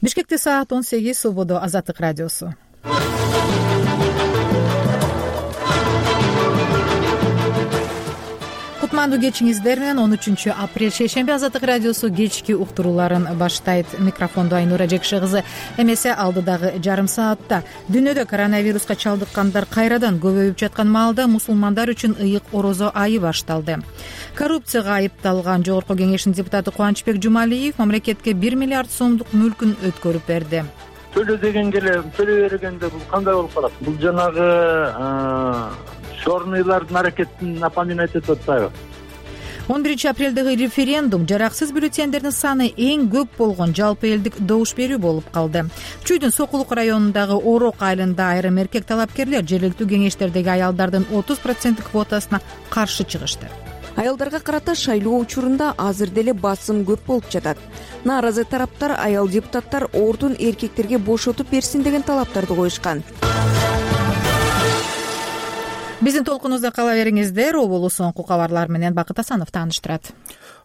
Бишкекте саат 18, Свободо Азаттык радиосу. Кутмандуу кечиңиздер менен 13 апрель шейшемби Азаттык радиосу кечки уктурууларын баштайт. Микрофондо Айнура Жекши кызы. Эмесе алдыдагы жарым саатта дүйнөдө коронавируска чалдыккандар кайрадан көбөйүп жаткан маалда мусулмандар үчүн ыйык орозо айы башталды. Коррупцияга айыпталган Жогорку Кеңештин депутаты Кубанычбек Жумалиев мамлекетке 1 миллиард сомдук мүлкүн өткөрүп берди. Төлө дегенге эле төлөй бергенде бул кандай болуп калат? Бул жанагы чорныйлардын аракетин напоминать этип атпайбы? 11 апрелдеги референдум жараксыз бюллетендердин саны эң көп болгон жалпы элдик добуш берүү болуп калды. Чүйдүн Сокулук районундагы Орок айылында айрым эркек талапкерлер жергиликтүү кеңештердеги аялдардын 30% квотасына каршы чыгышты. Аялдарга карата шайлоо учурунда азыр деле басым көп болуп жатат. Нааразы тараптар аял депутаттар ордун эркектерге бошотуп берсин деген талаптарды коюшкан. Биздин толкунубузда кала бериңиздер. Оболу соңку кабарлар менен Бакыт Асанов тааныштырат.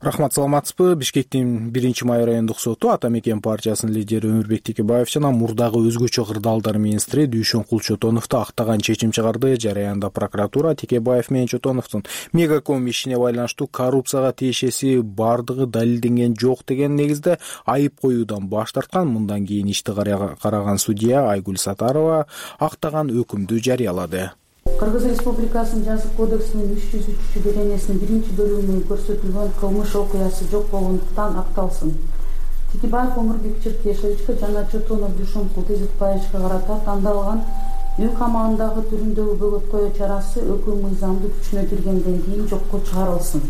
Рахмат, саламатсызбы? Бишкектин 1-Май райондук соту Ата Мекен партиясынын лидери Өмүрбек Текебаев жана мурдагы өзгөчө кырдаалдар министри Дүйшөнкул Чотоновду актаган чечим чыгарды. Жараянда прокуратура Текебаев менен Чотоновдун Мегаком ишине байланыштуу коррупцияга тиешеси бардыгы далилденген жок деген негизде айып коюудан баш тарткан. Мындан кийин ишти караган судья Айгүл Сатарова актаган өкүмдү жарыялады. Кыргыз Республикасынын Жазык кодексинин 303 беренесинин 1-бөлүгүндө көрсөтүлгөн кылмыш окуясы жок болгондуктан акталсын. Текебаев Өмүрбек Черкешевичке жана Чотонов Дүйшөнкул Тезитбаевичке карата тандалган үй камагындагы түрүндөгү бөгөткөө чарасы өкүм мыйзамдуу күчүнө киргенден кийин жокко чыгарылсын.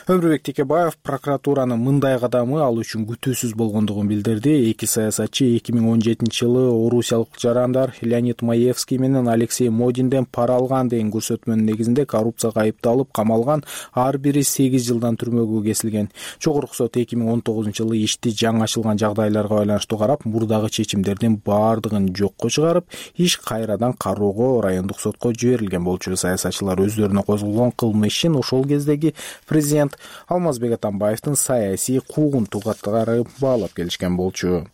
Өмүрбек Текебаев прокуратуранын мындай кадамы ал үчүн күтүүсүз болгондугун билдирди. Эки саясатчы 2017-жылы орусиялык жарандар Леонид Маевский менен Алексей Модинден пара алган деген көрсөтмөнүн негизинде коррупцияга айыпталып камалган. Ар бири 8 жылдан түрмөгө кесилген. Жогорку сот 2019-жылы ишти жаңы ачылган жагдайларга байланыштуу карап, мурдагы чечимдердин баардыгын жокко чыгарып, иш кайрадан кароого райондук сотко жиберилген болчу. Саясатчылар өздөрүнө козголгон кылмыш ишин ошол кездеги президент Алмазбек Атамбаевдин саясий куугунтугаттары баалап келишкен болчу.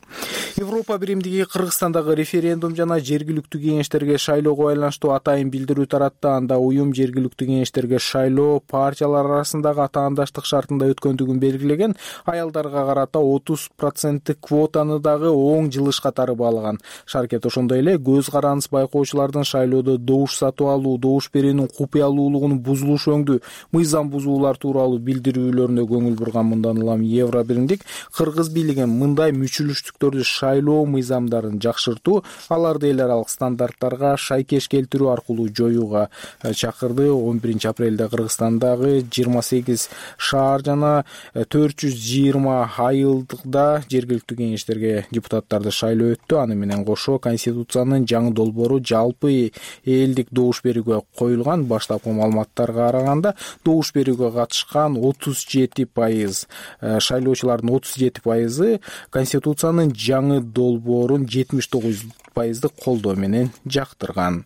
Европа биримдиги Кыргызстандагы референдум жана жергиликтүү кеңештерге шайлоого байланыштуу атайын билдирүү таратты. Анда уюм жергиликтүү кеңештерге шайлоо партиялар арасындагы атаандаштык шартында өткөндүгүн белгилеген. Аялдарга карата 30% квотаны дагы оң жылыш катары баалаган. Шаркет ошондой эле көз карандысыз байкоочулардын шайлоодо добуш сатып алуу, добуш берүүнүн купуялуулугунун бузулушу өңдүү мыйзам бузуулар тууралуу билдирүүлөрүнө көңүл бурган. Мындан улам Евро биримдик Кыргыз бийлиген мындай мүчүлүштүктөрдү шайлоо мыйзамдарын жакшыртуу, аларды эл аралык стандарттарга шайкеш келтирүү аркылуу жоюуга чакырды. 11 апрелде Кыргызстандагы 28 шаар жана 420 айылда жергиликтүү кеңештерге депутаттарды шайлоо өттү. Аны менен кошо Конституциянын жаңы долбоору жалпы элдик добуш берүүгө коюлган. Баштапкы маалыматтарга караганда добуш берүүгө катышкан 37%, шайлоочулардын 37% Конституциянын жаңы долбоорун 79% колдоо менен жактырган.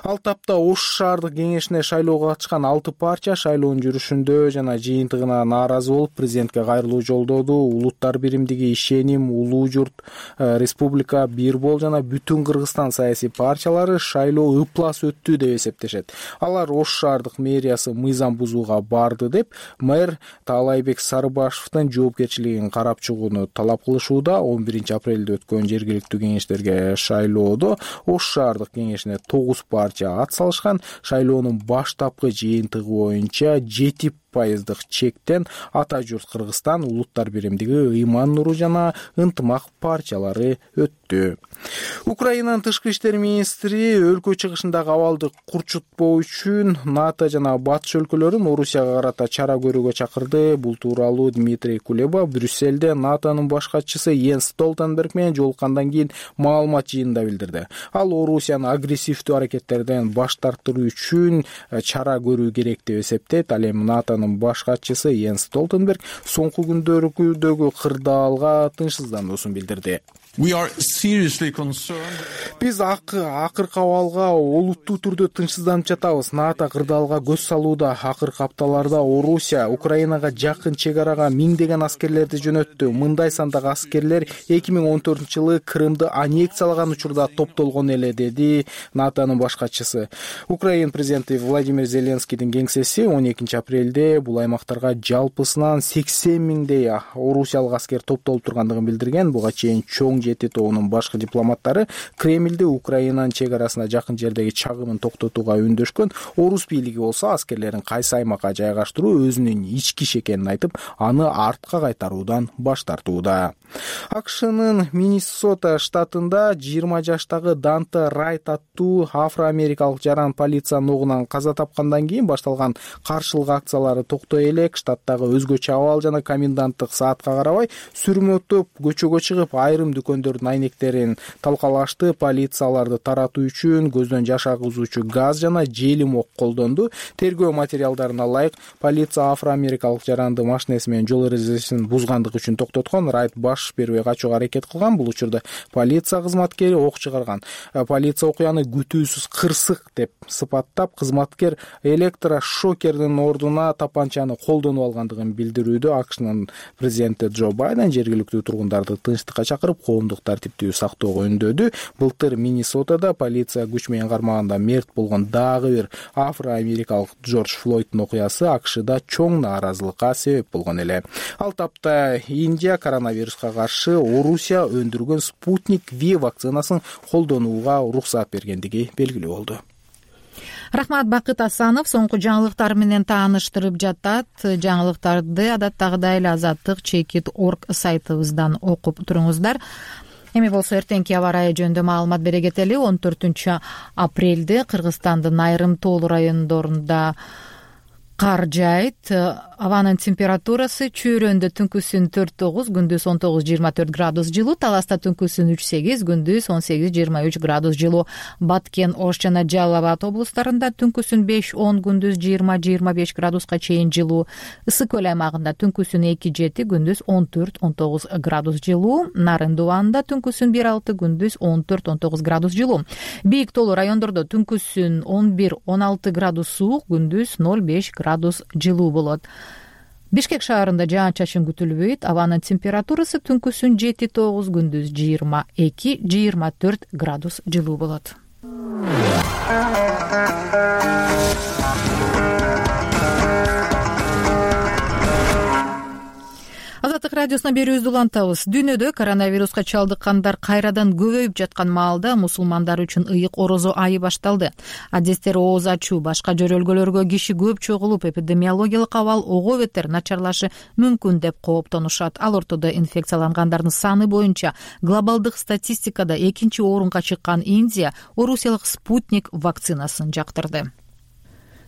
Ал тапта Ош шаардык кеңешине шайлоого катышкан 6 партия шайлоонун жүрүшүндө жана жыйынтыгына нааразы болуп президентке кайрылуу жолдоду. Улуттар биримдиги, Ишеним, Улуу журт, Республика, Бир бол жана Бүтүн Кыргызстан саясий партиялары шайлоо ыплас өттү деп эсептешет. Алар Ош шаардык мэриясы мыйзам бузууга барды деп мэр Таалайбек Сарыбашевдин жоопкерчилигин карап чыгууну талап кылышууда. 11 апрелде өткөн жергиликтүү кеңештерге шайлоодо Ош шаардык кеңешине 9 партия ат салышкан. Шайлоонун баштапкы жыйынтыгы боюнча 7% чектен Ата журт Кыргызстан, Улуттар биримдиги, Ыйман Нуру жана Ынтымак партиялары өттү. Украинанын тышкы иштер министри өлкө чыгышындагы абалды курчутпоо үчүн НАТО жана батыш өлкөлөрүн Орусияга карата чара көрүүгө чакырды. Бул тууралуу Дмитрий Кулеба Брюссельде НАТОнун баш катчысы Йенс Столтенберг менен жолуккандан кийин маалымат жыйынында билдирди. Ал Орусияны агрессивдүү аракеттерден баш тартыруу үчүн чара көрүү керек деп эсептейт. Ал эми НАТОнун ШАНын баш катчысы Йенс Столтенберг соңку күндөрдөгү кырдаалга тынчсыздануусун билдирди. Биз акыркы абалга олуттуу түрдө тынчсызданып жатабыз. НАТО кырдаалга көз салууда. Акыркы апталарда Орусия Украинага жакын чек арага миңдеген аскерлерди жөнөттү. Мындай сандагы аскерлер 2014-жылы Крымды аннексиялаган учурда топтолгон эле, деди НАТОнун баш катчысы. Украин президенти Владимир Зеленскийдин кеңсеси 12 апрелде бул аймактарга жалпысынан 80 миңдей орусиялык аскер топтолуп тургандыгын билдирген. Буга чейин чоң жети тобунун башкы дипломаттары Кремльде Украинанын чек арасына жакын жердеги чагымын токтотууга үндөшкөн. Орус бийлиги болсо аскерлерин кайсы аймакка жайгаштыруу өзүнүн ички иш экенин айтып, аны артка кайтаруудан баш тартууда. АКШнын Миннесота штатында 20 жаштагы Данте Райт аттуу афро-америкалык жаран полициянын огунан каза тапкандан кийин башталган каршылык акциялары токтой элек. Штаттагы өзгөчө абал жана коменданттык саатка карабай сүрмөтөп көчөгө чыгып, айрым дүкөндөрдүн айнектерин талкалашты. Полицияларды таратуу үчүн көздөн жаш агызуучу газ жана желим ок колдонду. Тергөө материалдарына ылайык, полиция афро-америкалык жаранды машинеси менен жол эрежесин бузгандык үчүн токтоткон. Райт баш бербей качууга аракет кылган. Бул учурда полиция кызматкери ок чыгарган. Полиция окуяны күтүүсүз кырсык деп сыпаттап, кызматкер электрошокердин ордуна тапанчаны колдонуп алгандыгын билдирүүдө. АКШнын президенти Джо Байден жергиликтүү тургундарды тынчтыкка чакырып, коомдук тартиптүү сактоого үндөдү. Былтыр Миннесотада полиция күч менен кармаганда мерт болгон дагы бир афро-америкалык Джордж Флойддун окуясы АКШда чоң нааразылыкка себеп болгон эле. Ал тапта Индия коронавируска каршы Орусия өндүргөн Спутник V вакцинасын колдонууга уруксат бергендиги белгилүү болду. Рахмат, Бакыт Асанов соңку жаңылыктар менен тааныштырып жатат. Жаңылыктарды адаттагыдай эле Азаттык.org сайтыбыздан окуп туруңуздар. Эми болсо эртеңки аба ырайы жөнүндө маалымат бере кетели. 14 апрелде Кыргызстандын айрым тоолуу райондорунда кар жаайт. Абанын температурасы чөйрөндө түнкүсүн 4-9, күндүз 19-24 градус жылуу, Таласта түнкүсүн 3-8, күндүз 18-23 градус жылуу. Баткен, Ош жана Жалал Абад облустарында түнкүсүн 5-10, күндүз 20-25 градуска чейин жылуу. Ысык көл аймагында түнкүсүн 2-7, күндүз 14-19 градус жылуу. Нарын Дубанында түнкүсүн 1-6, күндүз 14-19 градус жылуу. Бийик тоолуу райондордо түнкүсүн 11-16 градус суук, күндүз 0-5 градус жылуу болот. Бишкек шаарында жаан-чачын күтүлбөйт. Абанын температурасы түнкүсүн 7-9, күндүз 22-24 градус жылуу болот. Азаттык радиосуна берүүбүздү улантабыз. Дүйнөдө коронавируска чалдыккандар кайрадан көбөйүп жаткан маалда мусулмандар үчүн ыйык орозо айы башталды. Адистер ооз ачуу, башка жөрөлгөлөргө киши көп чогулуп, эпидемиологиялык абал ого бетер начарлашы мүмкүн деп кооптонушат. Ал ортодо инфекциялангандардын саны боюнча глобалдык статистикада 2-орунга чыккан Индия орусиялык Спутник вакцинасын жактырды.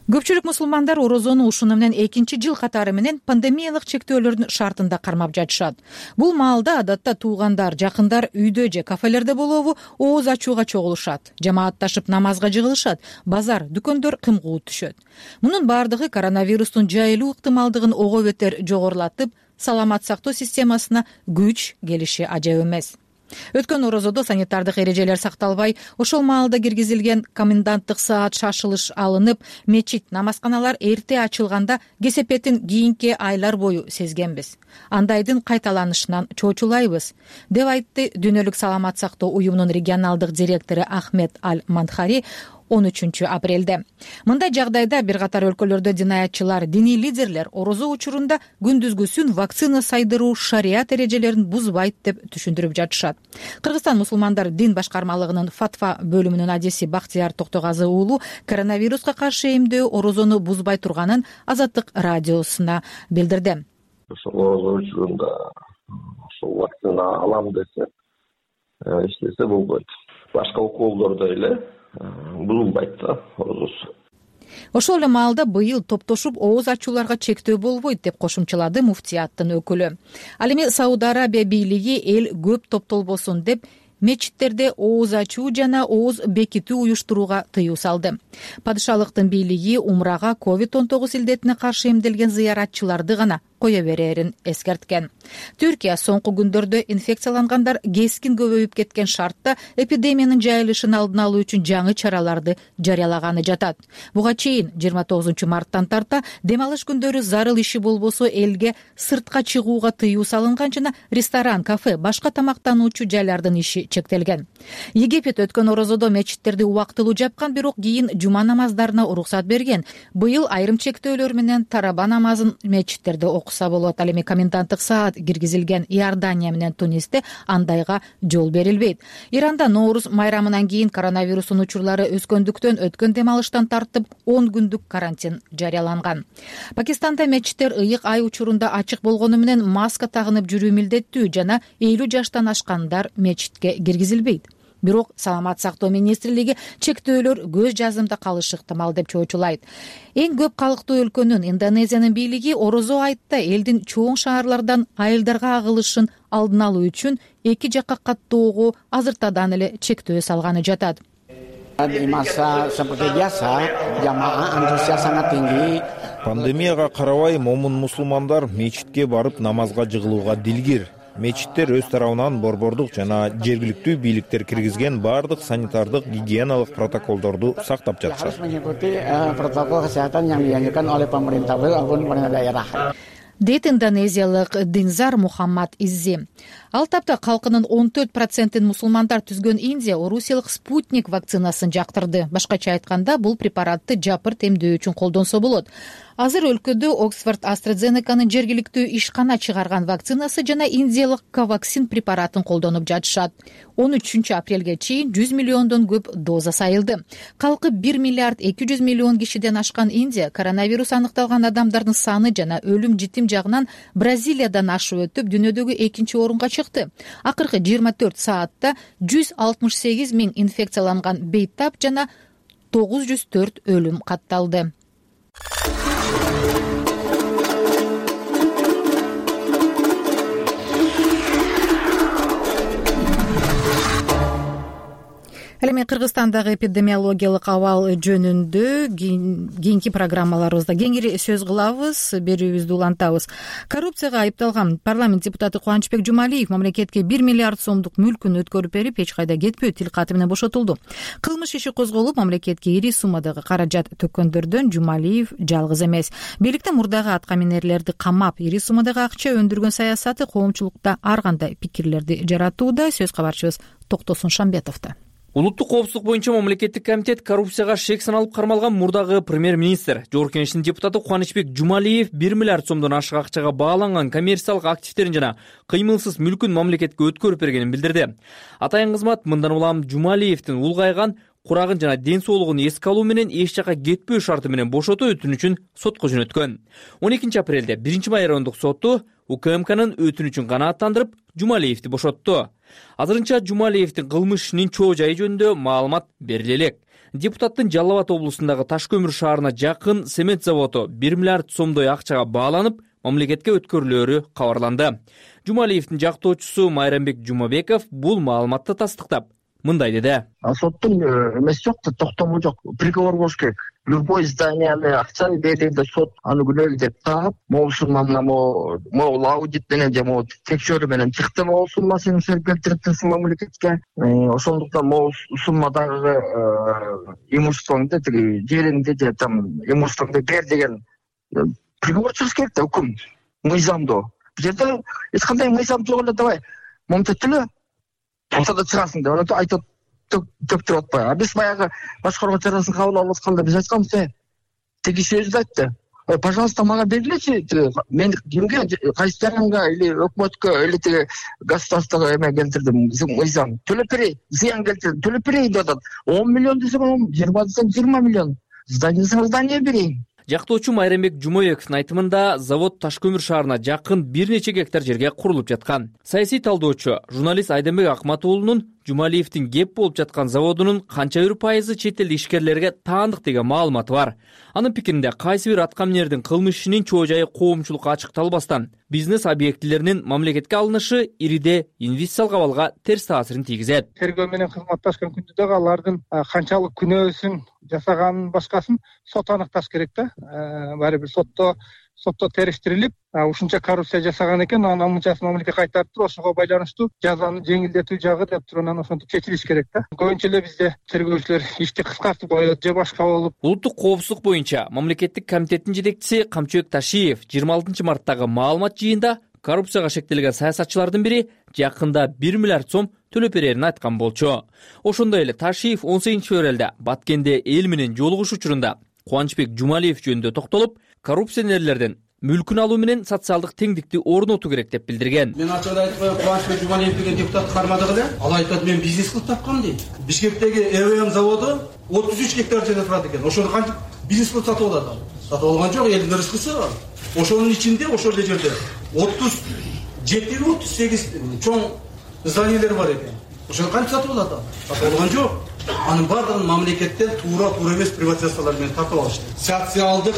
Көпчүлүк мусулмандар орозону ушуну менен 2-жыл катары менен пандемиялык чектөөлөрдүн шартында кармап жатышат. Бул маалда адатта туугандар, жакындар үйдө же кафелерде болобу ооз ачууга чогулушат, жамаатташып намазга жыгылышат, базар, дүкөндөр кымкуут түшөт. Мунун бардыгы коронавирустун жайылуу ыктымалдыгын ого бетер жогорулатып, саламат сактоо системасына күч келиши ажап эмес. Өткөн орозодо санитардык эрежелер сакталбай, ошол маалда киргизилген коменданттык саат шашылыш алынып, мечит, намазканалар эрте ачылганда кесепетин кийинки айлар бою сезгенбиз. Андайдын кайталанышынан чочулайбыз, деп айтты Дүйнөлүк саламат сактоо уюмунун регионалдык директору Ахмед Аль-Мандхари 13 апрелде. Мындай жагдайда бир катар өлкөлөрдө динаятчылар, диний лидерлер орозо учурунда күндүзгүсүн вакцина сайдыруу шарият эрежелерин бузбайт деп түшүндүрүп жатышат. Кыргызстан мусулмандар дин башкармалыгынын фатва бөлүмүнүн адиси Бактияр Токтогазы уулу коронавируска каршы эмдөө орозону бузбай турганын Азаттык радиосуна билдирди. Ошол орозо учурунда ошол вакцина алам десе, эчтесе болбойт. Башка уколдордо эле бузулбайт да орозосу. Ошол эле маалда быйыл топтошуп ооз ачууларга чектөө болбойт деп кошумчалады муфтияттын өкүлү. Ал эми Сауд Арабия бийлиги эл көп топтолбосун деп мечиттерде ооз ачуу жана ооз бекитүү уюштурууга тыюу салды. Падышалыктын бийлиги умрага COVID-19 илдетине каршы эмделген зыяратчыларды гана кое берерин эскерткен. Түркия соңку күндөрдө инфекциялангандар кескин көбөйүп кеткен шартта эпидемиянын жайылышын алдын алуу үчүн жаңы чараларды жарыялаганы жатат. Буга чейин 29 марттан тарта дем алыш күндөрү зарыл иши болбосо элге сыртка чыгууга тыюу салынган жана ресторан, кафе, башка тамактануучу жайлардын иши чектелген. Египет өткөн орозодо мечиттерди убактылуу жапкан, бирок кийин жума намаздарына уруксат берген. Быйыл айрым чектөөлөр менен тараба намазын мечиттерде окуса болот. Ал эми коменданттык саат киргизилген Иордания менен Тунисте андайга жол берилбейт. Иранда Ноорус майрамынан кийин коронавирустун учурлары өскөндүктөн өткөн дем алыштан тартып 10 күндүк карантин жарыяланган. Пакистанда мечиттер ыйык ай учурунда ачык болгону менен маска тагынып жүрүү милдеттүү жана 50 жаштан ашкандар мечитке киргизилбейт. Бирок саламат сактоо министрлиги чектөөлөр көз жазымда калышы ыктымал деп чоочулайт. Эң көп калктуу өлкөнүн Индонезиянын бийлиги орозо айтта элдин чоң шаарлардан айылдарга агылышын алдын алуу үчүн эки жакка каттоого азыртадан эле чектөө салганы жатат. Пандемияга карабай момун мусулмандар мечитке барып намазга жыгылууга дилгир. Мечиттер өз тарабынан борбордук жана жергиликтүү бийликтер киргизген бардык санитардык гигиеналык протоколдорду сактап жатышат. Дейт индонезиялык Динзар Мухаммад Иззи. Ал тапта калкынын 14% мусулмандар түзгөн Индия орусиялык Спутник вакцинасын жактырды. Башкача айтканда, бул препаратты жапырт эмдөө үчүн колдонсо болот. Азыр өлкөдө Оксфорд AstraZeneca'нын жергиликтүү ишкана чыгарган вакцинасы жана индиялык Covaxin препаратын колдонуп жатышат. 13 апрелге чейин 100 миллиондон көп доза сайылды. Калкы 1 миллиард 200 миллион кишиден ашкан Индия коронавирус аныкталган адамдардын саны жана өлүм житим жагынан Бразилиядан ашып өтүп, дүйнөдөгү экинчи орунга чыкты. Акыркы 24 саатта 168 миң инфекцияланган бейтап жана 904 өлүм катталды. Ал эми Кыргызстандагы эпидемиологиялык абал жөнүндө кийинки программаларыбызда кеңири сөз кылабыз, берүүбүздү улантабыз. Коррупцияга айыпталган парламент депутаты Кубанычбек Жумалиев мамлекетке 1 миллиард сомдук мүлкүн өткөрүп берип, эч кайда кетпөө тил каты менен бошотулду. Кылмыш иши козголуп, мамлекетке ири суммадагы каражат төккөндөрдөн Жумалиев жалгыз эмес. Бийликтин мурдагы аткаминерлерди камап, ири суммадагы акча өндүргөн саясаты коомчулукта ар кандай пикирлерди жаратууда. Сөз кабарчыбыз Токтосун Шамбетовдо. Улуттук коопсуздук боюнча мамлекеттик комитет коррупцияга шек саналып кармалган мурдагы премьер-министр Жогорку Кеңештин депутаты Кубанычбек Жумалиев 1 миллиард сомдон ашык акчага бааланган коммерциялык активдерин жана кыймылсыз мүлкүн мамлекетке өткөрүп бергенин билдирди. Атайын кызмат мындан улам Жумалиевдин улгайган курагын жана ден соолугун эске алуу менен эч жака кетпөө шарты менен бошотуу өтүнүчүн сотко жөнөткөн. 12 апрелде 1-май райондук соту УКМКнын өтүнүчүн канааттандырып, Жумалиевди бошотту. Азырынча Жумалиевдин кылмыш ишинин чоо жайы жөнүндө маалымат бериле элек. Депутаттын Жалал Абад облусундагы Таш көмүр шаарына жакын цемент заводу 1 миллиард сомдой акчага бааланып, мамлекетке өткөрүлөөрү кабарланды. Жумалиевдин жактоочусу Майрамбек Жумабеков бул маалыматты тастыктап, мындай деди. Соттун эмеси жок, токтому жок. Приговор болуш керек. Любой зданияны акчаны бергенде сот аны күнөөлүү деп таап, могу сумманы могу аудит менен же могу текшерүү менен чыкты, могу суммасын келтириптсиң мамлекетке. Ошондуктан могу суммадагы имуществоңду, жериңди же там имуществоңду бер деген приговор чыгыш керек да, өкүм мыйзамдуу. Бул жерде эч кандай мыйзам жок эле, давай момтет эле ортодо чыгасың деп анан айтып төктүрүп атпайбы. А биз баягы башкаруу чарасын кабыл алып атканда биз айтканбыз, тиги сөздү айтты. Пожалуйста, мага бергилечи, мен кимге, кайсы жаранга или өкмөткө или тиги государствого эме келтирдим, мыйзам төлөп берейин, зыян келтирдим, төлөп берейин деп атат. 10 миллион десең, 20 десең 20 миллион. Здание берейин. Жактоочу Майрамбек Жумабековдун айтымында завод Таш көмүр шаарына жакын бир нече гектар жерге курулуп жаткан. Саясий талдоочу журналист Айденбек Акматуулунун Жумалиевдин кеп болуп жаткан заводунун канча бир пайызы чет эл ишкерлерге таандык деген маалыматы бар. Анын пикиринде кайсы бир аткаминердин кылмыш ишинин чоо жайы коомчулукка ачыкталбастан бизнес объектилеринин мамлекетке алынышы ириде инвестициялык абалга терс таасирин тийгизет. Тергөө менен кызматташкан күндө дагы алардын канчалык күнөөсүн жасаганын башкасын сот аныкташ керек да. Баары бир сотто териштирилип, ушунча коррупция жасаган экен, анан мынчасын мамлекетке кайтарып туруп, ошого байланыштуу жазаны жеңилдетүү жагы деп туруп, анан ошентип чечилиш керек да. Көбүнчө эле бизде тергөөчүлөр ишти кыскартып коет же башка болуп. Улуттук коопсуздук боюнча мамлекеттик комитеттин жетекчиси Камчыбек Ташиев 26 марттагы маалымат жыйында коррупцияга шектелген саясатчылардын бири жакында 1 миллиард сом төлөп берерин айткан болчу. Ошондой эле Ташиев 18-февралда Баткенде эл менен жолугуш учурунда Кубанычбек Жумалиев жөнүндө токтолуп, коррупционерлерден мүлкүн алуу менен социалдык теңдикти орнотуу керек деп билдирген. Мен ачык айтып коеюн, Кубанычбек Жумалиев деген депутат кармадык эле. Ал айтат, мен бизнес кылып тапкам дейт. Бишкектеги ЭВМ заводу 33 гектар жерде турат экен. Ошону кантип бизнес кылып сатып алат ал? Сатып алган жок, элдин рызкысы бар. Ошонун ичинде ошол эле жерде 37-38 чоң зданиялер бар экен. Ошону кантип сатып алат ал? Сатып алган жок. Анын бардыгын мамлекеттен туура эмес приватизациялар менен тартып алышты. Социалдык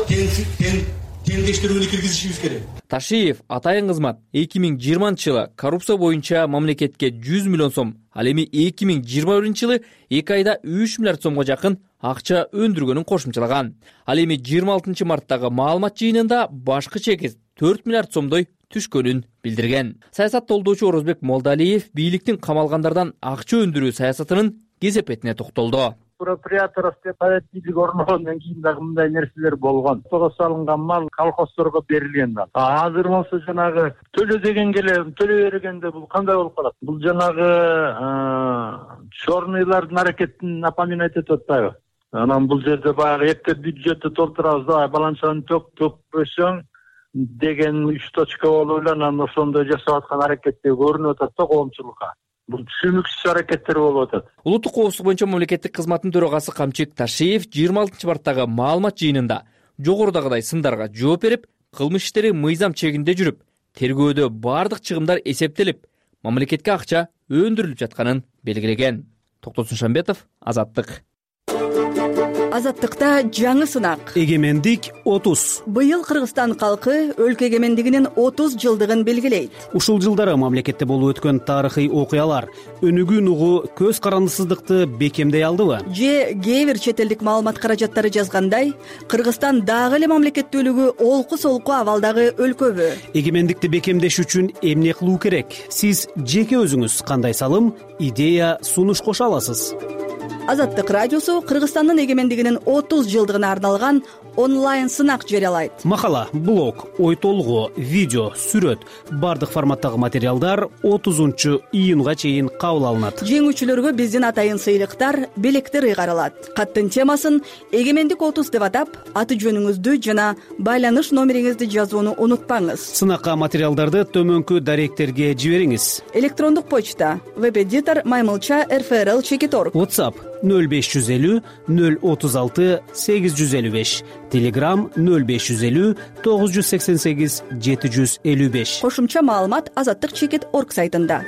теңдештирүүнү киргизишибиз керек. Ташиев атайын кызмат 2020-жылы коррупция боюнча мамлекетке 100 миллион сом, ал эми 2021-жылы 2 айда 3 миллиард сомго жакын акча өндүргөнүн кошумчалаган. Ал эми 26 марттагы маалымат жыйынында башкы чекит 4 миллиард сомдой түшкөнүн билдирген. Саясат толдоочу Орозбек Молдалиев бийликтин камалгандардан акча өндүрүү саясатынын кесепетине токтолду. Проприаторство порядкилик орногондон кийин дагы мындай нерселер болгон. Того салынган мал колхоздорго берилген да. Азыр болсо жанагы төлө дегенге эле төлөй бергенде бул кандай болуп калат? Бул жанагы чорныйлардын аракетин напоминать этип атпайбы? Анан бул жерде баягы эптеп бюджетти толтурабыз да, баланчаны төкпөсөң деген 3 точка болуп эле анан ошондой жасап аткан аракеттер көрүнүп атат да коомчулукка. Бул түшүнүксүз аракеттер болуп атат. Улуттук коопсуздук боюнча мамлекеттик кызматтын төрагасы Камчыбек Ташиев 26 марттагы маалымат жыйынында жогорудагыдай сындарга жооп берип, кылмыш иштери мыйзам чегинде жүрүп, тергөөдө бардык чыгымдар эсептелип, мамлекетке акча өндүрүлүп жатканын белгилеген. Токтосун Шамбетов, Азаттык. Азаттыкта жаңы сынак. Эгемендик 30. Быйыл Кыргызстан калкы өлкө эгемендигинин 30 жылдыгын белгилейт. Ушул жылдары мамлекетте болуп өткөн тарыхый окуялар өнүгүүн угу көз карандысыздыкты бекемдей алдыбы? Же кээ бир чет элдик маалымат каражаттары жазгандай, Кыргызстан дагы эле мамлекеттүүлүгү олку-солку абалдагы өлкөбү? Эгемендикти бекемдеш үчүн эмне кылуу керек? Сиз жеке өзүңүз кандай салым, идея, сунуш кошо аласыз? Азаттык радиосу Кыргызстандын эгемендигинин 30 жылдыгына арналган онлайн сынак жарыялайт. Макала, блог, ой толгоо, видео, сүрөт, бардык форматтагы материалдар 30 июнга чейин кабыл алынат. Жеңүүчүлөргө биздин атайын сыйлыктар, белектер ыйгарылат. Каттын темасын эгемендик 30 деп атап, аты жөнүңүздү жана байланыш номериңизди жазууну унутпаңыз. Сынакка материалдарды төмөнкү даректерге жибериңиз. Электрондук почта web-editor@maymilcha.rfrl.org. WhatsApp 0550 036 855, Telegram 0550 988 755. Кошумча маалымат azattik.org сайтында.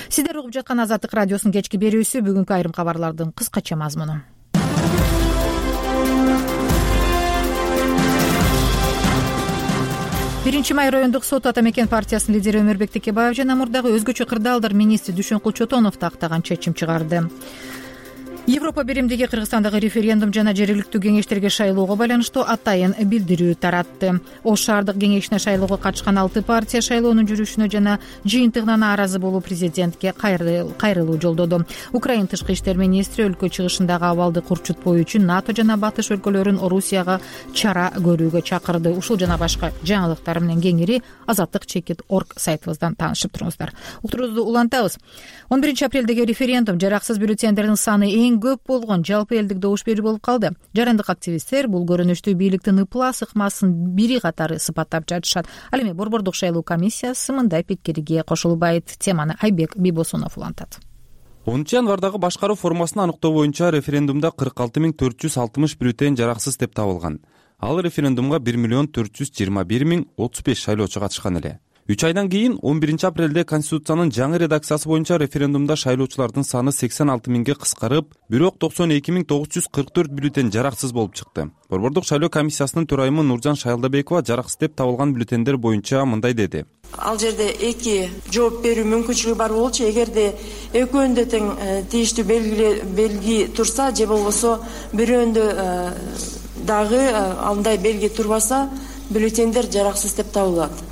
Сиздер угуп жаткан Азаттык радиосунун кечки берүүсү. Бүгүнкү айрым кабарлардын кыскача мазмуну. 1-май райондук сот Ата Мекен партиясынын лидери Өмүрбек Текебаев жана мурдагы өзгөчө кырдаалдар министри Дүйшөнкул Чотоновду актаган чечим чыгарды. Европа биримдиги Кыргызстандагы референдум жана жергиликтүү кеңештерге шайлоого байланыштуу атайын билдирүү таратты. Ош шаардык кеңешине шайлоого катышкан 6 партия шайлоонун жүрүшүнө жана жыйынтыгына нааразы болуп президентке кайрылуу жолдоду. Украина тышкы иштер министри өлкө чыгышындагы абалды курчутпоо үчүн НАТО жана батыш өлкөлөрүн Орусияга чара көрүүгө чакырды. Ушул жана башка жаңылыктар менен кеңири azattik.org сайтыбыздан таанышып туруңуздар. Уктуруубузду улантабыз. 11 апрелдеги референдум жараксыз бюллетендердин саны эң көп болгон жалпы элдик добуш берүү болуп калды. Жарандык активисттер бул көрүнүштүү бийликтин ыплас ыкмасын бири катары сыпаттап жатышат. Ал эми Борбордук шайлоо комиссиясы мындай пикирге кошулбайт. Теманы Айбек Бибосунов улантат. 10 январдагы башкаруу формасына аныктоо боюнча референдумда 46.460 бюллетен жараксыз деп табылган. Ал референдумга 1.421.035 шайлоочу катышкан эле. 3 айдан кийин 11 апрелде Конституциянын жаңы редакциясы боюнча референдумда шайлоочулардын саны 86 миңге кыскарып, бирок 92.944 бюллетень жараксыз болуп чыкты. Борбордук шайлоо комиссиясынын төрайымы Нуржан Шайлдабекова жараксыз деп табылган бюллетендер боюнча мындай деди. Ал жерде эки жооп берүү мүмкүнчүлүгү бар болчу. Эгерде экөөндө тең тийиштүү белги турса же болбосо бирөөндө дагы андай белги турбаса, бюллетендер жараксыз деп табылат.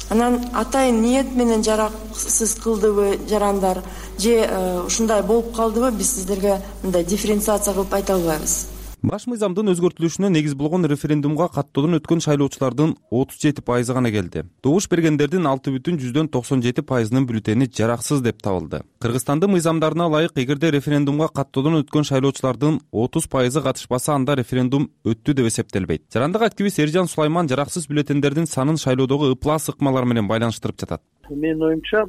Анан атайын ниет менен жараксыз кылдыбы жарандар же ушундай болуп калдыбы, биз сиздерге мындай дифференциация кылып айта албайбыз. Баш мыйзамдын өзгөртүлүшүнө негиз болгон референдумга каттоодон өткөн шайлоочулардын 37% гана келди. Добуш бергендердин 6,97%нын бюллетени жараксыз деп табылды. Кыргызстандын мыйзамдарына ылайык, эгерде референдумга каттоодон өткөн шайлоочулардын 30% катышпаса, анда референдум өттү деп эсептелбейт. Жарандык активист Эржан Сулайман жараксыз бюллетендердин санын шайлоодогу ыплас-ыкмалар менен байланыштырып жатат. Менин оюмча,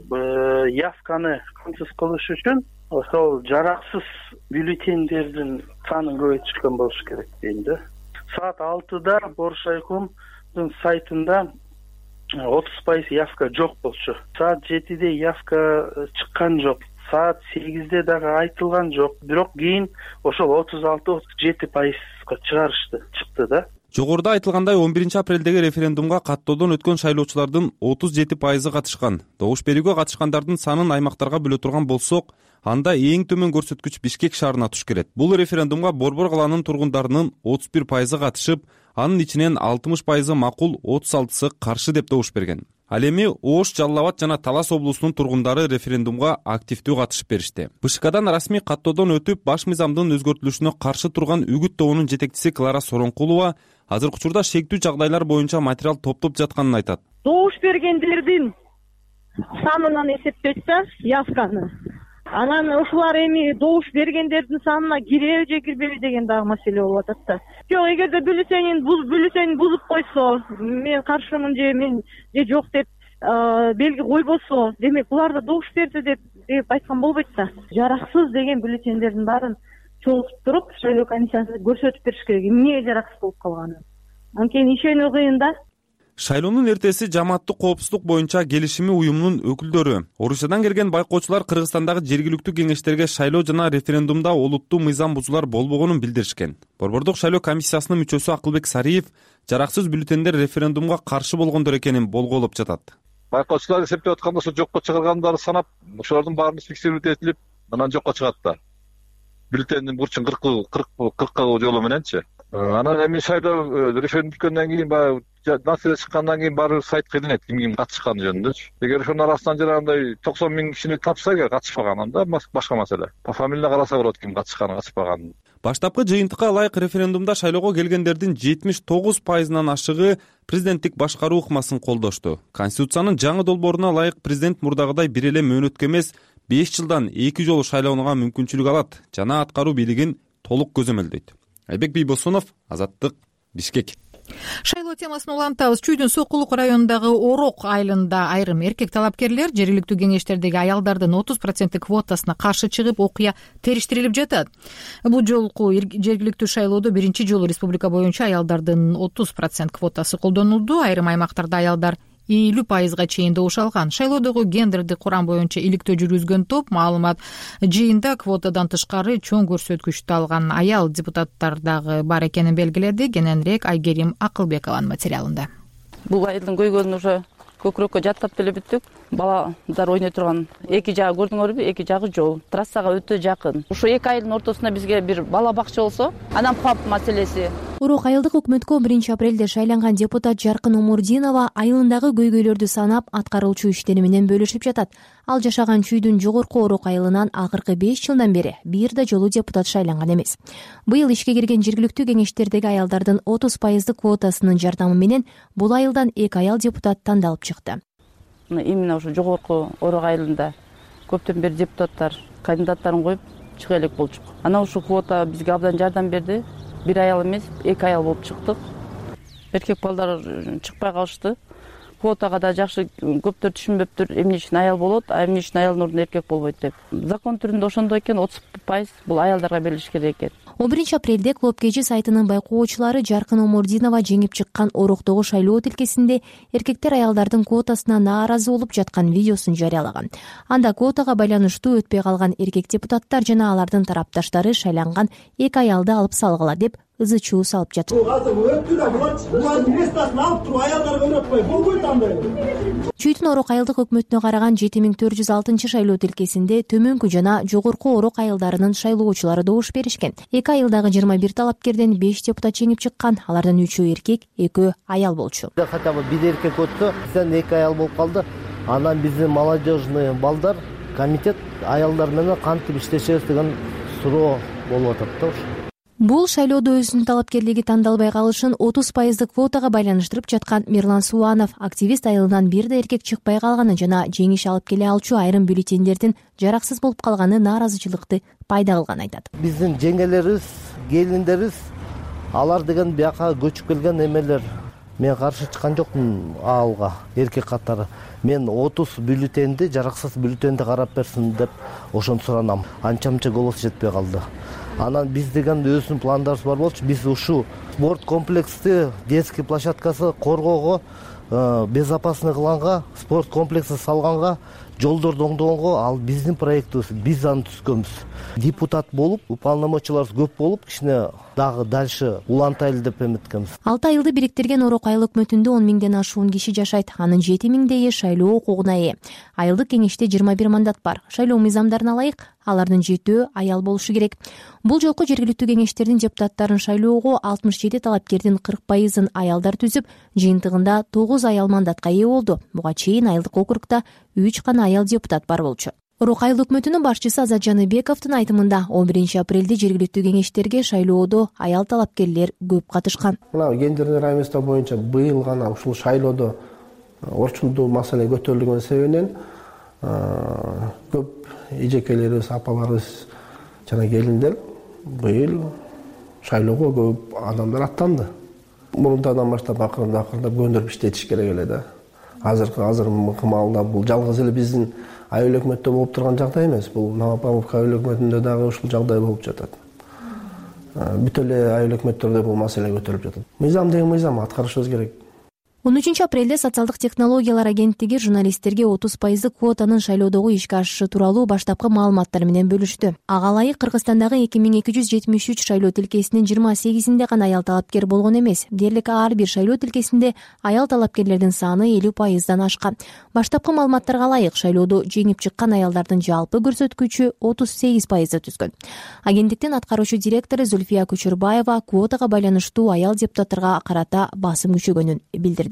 явканы камсыз кылыш үчүн ошол жараксыз бюллетендердин санын көбөйтүшкөн болуш керек дейм да. Саат 6-да Боруш райкомдун сайтында 30% явка жок болчу. Саат 7-де явка чыккан жок. Саат 8-де дагы айтылган жок. Бирок кийин ошол 36-37%га чыкты да. Жогоруда айтылгандай, 11 апрелдеги референдумга каттоодон өткөн шайлоочулардын 37% катышкан. Добуш берүүгө катышкандардын санын аймактарга бөлө турган болсок, анда эң төмөн көрсөткүч Бишкек шаарына туш келет. Бул референдумга Борбор калаанын тургундарынын 31% катышып, анын ичинен 60% макул, 36% каршы деп добуш берген. Ал эми Ош, Жалал Абад жана Талас облусунун тургундары референдумга активдүү катышып беришти. БШКдан расмий каттоодон өтүп, баш мыйзамдын өзгөртүлүшүнө каршы турган Үгүт тобунун жетекчиси Клара Соронкулова азыркы учурда шектүү жагдайлар боюнча материал топтоп жатканын айтат. Добуш бергендердин санынан эсептечсе, явканы, анан ушулар эми добуш бергендердин санына киреби же кирбеби деген дагы маселе болуп атат да. Жок, эгерде бюллетенин бузуп койсо, мен каршымын же мен же жок деп белги койбосо, демек булар да добуш берди деп айткан болбойт да. Жараксыз деген бюллетендердин баарын чогултуп туруп, шайлоо комиссиясы көрсөтүп бериш керек, эмне жараксыз болуп калганын. Анткени ишенүү кыйын да. Шайлоонун эртеси жамааттык коопсуздук боюнча келишими уюмунун өкүлдөрү, Орусиядан келген байкоочулар Кыргызстандагы жергиликтүү кеңештерге шайлоо жана референдумда олуттуу мыйзам бузуулар болбогонун билдиришкен. Борбордук шайлоо комиссиясынын мүчөсү Акылбек Сариев жараксыз бюллетендер референдумга каршы болгондор экенин болгоолоп жатат. Байкоочулар эсептеп атканда ошо жокко чыгаргандарды санап, ошолордун баарын фиксировать этилип, анан жокко чыгат да. Бюллетендин бурчун 40 жолу мененчи. Анан эми шайлоо референдум бүткөндөн кийин баягы насиле чыккандан кийин баары сайт кыйдынет ким катышканы жөнүндө. Эгер ошонун арасынан жанагындай 90 миң кишини тапса, катышпаган, анда башка маселе. По фамилия караса болот ким катышканы, катышпаганын. Баштапкы жыйынтыкка ылайык референдумда шайлоого келгендердин 79%нан ашыгы президенттик башкаруу ыкмасын колдошту. Конституциянын жаңы долбооруна ылайык президент мурдагыдай бир эле мөөнөткө эмес, 5 жылдан 2 жолу шайлоонууга мүмкүнчүлүк алат жана аткаруу бийлигин толук көзөмөлдөйт. Айбек Бийбосунов, Азаттык, Бишкек. Шайлоо темасын улантабыз. Чүйдүн Сокулук районундагы Орок айылында айрым эркек талапкерлер жергиликтүү кеңештердеги аялдардын 30% квотасына каршы чыгып, окуя териштирилип жатат. Бул жолку жергиликтүү шайлоодо биринчи жолу республика боюнча аялдардын 30% квотасы колдонулду. Айрым аймактарда аялдар 50%га чейин добуш алган. Шайлоодогу гендердик курам боюнча иликтөө жүргүзгөн топ маалымат жыйында квотадан тышкары чоң көрсөткүчтү алган аял депутаттар дагы бар экенин белгиледи. Кененирээк Айгерим Акылбекованын материалында. Бул айылдын көйгөнүн уже көкүрөккө жаттап деле бүттүк. Баладар ойной турган эки жагы көрдүңөрбү? Эки жагы жол. Трассага өтө жакын. Ошо эки айылдын ортосунда бизге бир бала бакча болсо, анан пап маселеси. Орок айылдык өкмөткө 1 апрелде шайланган депутат Жаркын Омурдинова айылындагы көйгөйлөрдү санап, аткаруучу иштери менен бөлүшүп жатат. Ал жашаган чүйдүн жогорку Орок айылынан акыркы 5 жылдан бери бир да жолу депутат шайланган эмес. Быйыл ишке кирген жергиликтүү кеңештердеги аялдардын 30% квотасынын жардамы менен бул айылдан 2 аял депутат тандалып чыкты. Именно ошо жогорку Орок айылында көптөн бери депутаттар кандидаттарын коюп чыга элек болчук. Анан ушул квота бизге абдан жардам берди. Бир аял эмес, 2 аял болуп чыктык. Эркек балдар чыкпай калышты. Квотага да жакшы көптөр түшүнбөптүр, эмне үчүн аял болот, эмне үчүн аялдын ордуна эркек болбойт деп. Закон түрүндө ошондой экен, 30% бул аялдарга берилиш керек экен. 11 апрелде Клуб Кечи сайтынын байкоочулары Жаркын Омурдинова жеңип чыккан Ороктогу шайлоо тилкесинде эркектер аялдардын квотасына нааразы болуп жаткан видеосун жарыялаган. Анда квотага байланыштуу өтпөй калган эркек депутаттар жана алардын тарапташтары шайланган 2 аялды алып салгыла деп ызы чуу салып жатат. Чүйдүн Орок айылдык өкмөтүнө караган 7406 шайлоо тилкесинде төмөнкү жана жогорку Орок айылдарынын шайлоочулары добуш беришкен. 2 айылдагы 21 талапкерден 5 депутат жеңип чыккан. Алардын 3-өө эркек, 2-өө аял болчу. Хотя бы бир эркек өттү, бизден 2 аял болуп калды. Анан биздин молодежный балдар комитет аялдар менен кантип иштешебиз деген суроо болуп атат да. Бул шайлоодо өзүнүн талапкерлиги тандалбай калышын 30% квотага байланыштырып жаткан Мирлан Суанов активист айылынан бир да эркек чыкпай калганын жана жеңиш алып келе алчу айрым бюллетендердин жараксыз болуп калганы нааразычылыкты пайда кылганын айтат. Биздин жеңелерибиз, келиндерибиз алар деген бияка көчүп келген эмелер. Мен каршы чыккан жокмун алга эркек катары. Мен 30 бюллетенди, жараксыз бюллетенди карап берсин деп ошону суранам. Анча-мынча голос жетпей калды. Анан биз деген өзүнүн пландарыбыз бар болчу. Биз ушу спорт комплексти, детский площадкасы коргоого, безопасный кылганга, спорт комплекси салганга, жолдорду оңдогонго ал биздин проектибиз. Биз аны түзгөнбүз. Депутат болуп, уполномоченныйлар көп болуп, кичине дагы дальше улантайлы деп эметкенбиз. 6 айылды бириктирген Орок айыл өкмөтүндө 10 миңден ашуун киши жашайт. Анын 7 миңдейи шайлоо укугуна ээ. Айылдык кеңеште 21 мандат бар. Шайлоо мыйзамдарына ылайык алардын 7-өө аял болушу керек. Бул жолку жергиликтүү кеңештердин депутаттарын шайлоого 67 талапкердин 40%-ын аялдар түзүп, жыйынтыгында 9 аял мандатка ээ болду. Буга чейин айылдык округда 3 гана аял депутат бар болчу. Орок айыл өкмөтүнүн башчысы Азат Жаныбековдун айтымында 11 апрелде жергиликтүү кеңештерге шайлоодо аял талапкерлер көп катышкан. Мына гендерный равенство боюнча быйыл гана ушул шайлоодо орчундуу маселе көтөрүлгөн себебинен көп эжекелерибиз, апаларыбыз жана келиндер быйыл шайлоого көп адамдар аттанды. Мурунтадан баштап акырындап көндүрүп иштетиш керек эле да. Азыр маалда бул жалгыз эле биздин айыл өкмөттө болуп турган жагдай эмес. Бул Новопавловка айыл өкмөтүндө дагы ушул жагдай болуп жатат. Бүт эле айыл өкмөттөрдө бул маселе көтөрүлүп жатат. Мыйзам деген мыйзам, аткарышыбыз керек. 13 апрелде социалдык технологиялар агенттиги журналисттерге 30% квотанын шайлоодогу ишке ашышы тууралуу баштапкы маалыматтар менен бөлүштү. Ага ылайык Кыргызстандагы 2273 шайлоо тилкесинин 28-inde гана аял талапкер болгон эмес. Дээрлик ар бир шайлоо тилкесинде аял талапкерлердин саны 50%дан ашкан. Баштапкы маалыматтарга ылайык шайлоодо жеңип чыккан аялдардын жалпы көрсөткүчү 38% түзгөн. Агенттиктин аткаруучу директору Зульфия Кучурбаева квотага байланыштуу аял депутаттарга карата басым күчөгөнүн билдирди.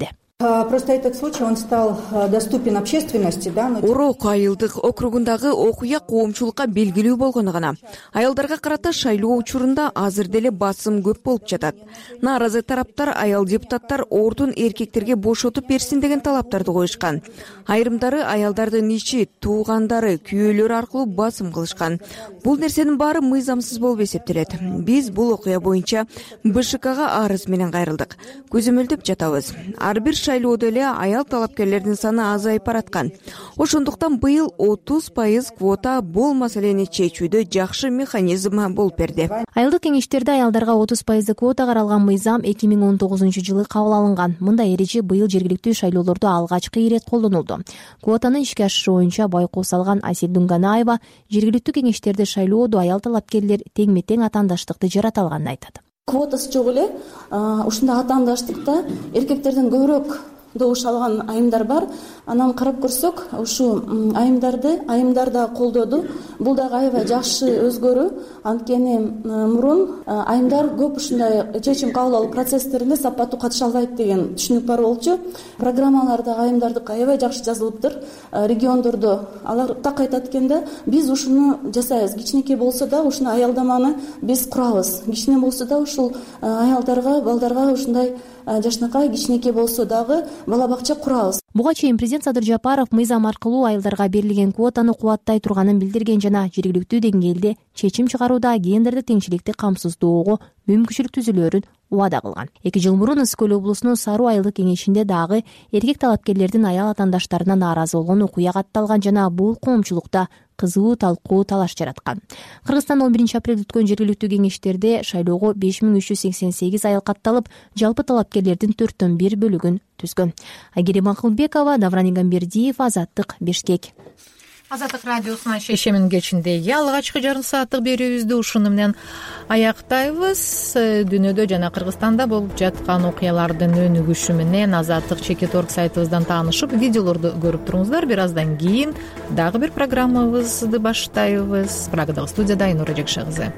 Просто этот случай, он стал доступен общественности, да? Орок айылдык округундагы окуя коомчулукка белгилүү болгону гана. Аялдарга карата шайлоо учурунда азыр деле басым көп болуп жатат. Нааразы тараптар аял депутаттар ордун эркектерге бошотуп берсин деген талаптарды коюшкан. Айрымдары аялдардын ичи, туугандары, күйөөлөрү аркылуу басым кылышкан. Бул нерсенин баары мыйзамсыз болуп эсептелет. Биз бул окуя боюнча БШКга арыз менен кайрылдык. Көзөмөлдөп жатабыз. Ар бир шайлоодо эле аял талапкерлердин саны азайып бараткан. Ошондуктан быйыл 30% квота бул маселени чечүүдө жакшы механизм болуп берди. Айылдык кеңештерде аялдарга 30% квота каралган мыйзам 2019-жылы кабыл алынган. Мындай эреже быйыл жергиликтүү шайлоолордо алгачкы ирет колдонулду. Квотанын ишке ашышы боюнча байкоо салган Асель Дунганаева жергиликтүү кеңештерде шайлоодо аял талапкерлер теңме-тең атаандаштыкты жарата алганын айтат. Квотасы жок эле ушундай атаандаштыкта эркектерден көбүрөөк добуш алган айымдар бар. Анан карап көрсөк, ушу айымдар да колдоду. Бул дагы аябай жакшы өзгөрүү. Анткени мурун айымдар көп ушундай чечим кабыл алуу процесстерине сапаттуу катыша албайт деген түшүнүк бар болчу. Программаларда айымдардыкы аябай жакшы жазылыптыр. Региондордо алар так айтат экен да, биз ушуну жасайбыз. Кичинекей болсо да ушуну аялдаманы биз курабыз. Кичине болсо да ушул аялдарга, балдарга ушундай жашынакай кичинекей болсо дагы бала бакча курабыз. Буга чейин президент Садыр Жапаров мыйзам аркылуу айылдарга берилген квотаны кубаттай турганын билдирген жана жергиликтүү деңгээлде чечим чыгарууда гендердик теңчиликти камсыздоого мүмкүнчүлүк түзүлөөрүн убада кылган. 2 жыл мурун Ысык көл облусунун Саруу айылдык кеңешинде дагы эркек талапкерлердин аял атаандаштарына нааразы болгон окуя катталган жана бул коомчулукта кызуу талкуу талаш жараткан. Кыргызстанда 11 апрелде өткөн жергиликтүү кеңештерде шайлоого 5388 аял катталып, жалпы талапкерлердин 4/1 бөлүгүн түзгөн. Айгерим Акылбекова, Давран Игамбердиев, Азаттык, Бишкек. Азаттык радиосунун шешемин кечинде алгачкы жарым сааттык берүүбүздү ушуну менен аяктайбыз. Дүйнөдө жана Кыргызстанда болуп жаткан окуялардын өнүгүшү менен Азаттык Чекит.org сайтыбыздан таанышып, видеолорду көрүп туруңуздар. Бир аздан кийин дагы бир программабызды баштайбыз. Прагадагы студияда Айнура Жакшы кызы.